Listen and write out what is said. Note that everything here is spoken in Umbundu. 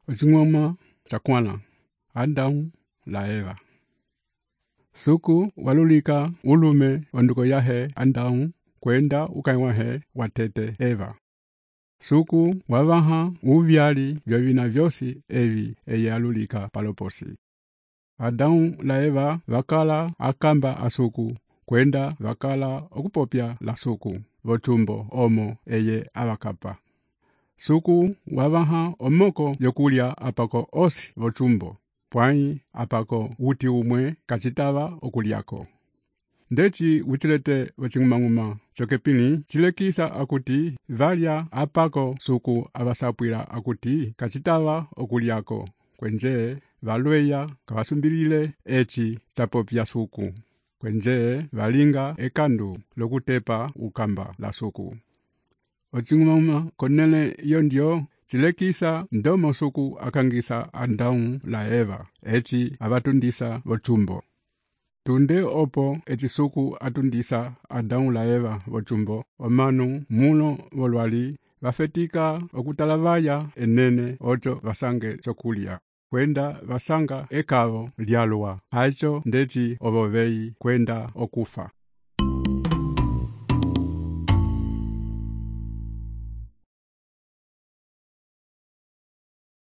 Ocing'oma chakwãla, Adamu la Eva. Suku walulika ulume onduko yahe Adamu kwenda ukãyi wahe watete Eva. Suku wavaha uvyali vyovina vyosi evi eye alulika paloposi. Adamu la Eva vakala akamba asuku kwenda vakala okupopya la suku votumbo omo eye avakapa. Suku wavaha omoko yokulya apako osi votumbo, pwãyi apako uti umwe kacitava okuliako. Ndeci witilete wacing'umang'uma chokepini chilekisa akuti valya apako suku avasapwila akuti kacitava okuliako, kwenje valweya kavasumbilile eci chapopya suku, kwenje valinga ekandu lokutepa ukamba la suku. Ocing'umang'uma konele iyo ndio chilekisa ndomo suku akangisa Adamu la Eva eci avatundisa votumbo. Tunde opo eci suku atundisa Adamu la Eva votumbo, omanu mulo volwali vafetika okutalavaya enene ocho vasange chokulya, kwenda vasanga ekavo lyalwa, hacho ndeci ovoveyi kwenda okufa.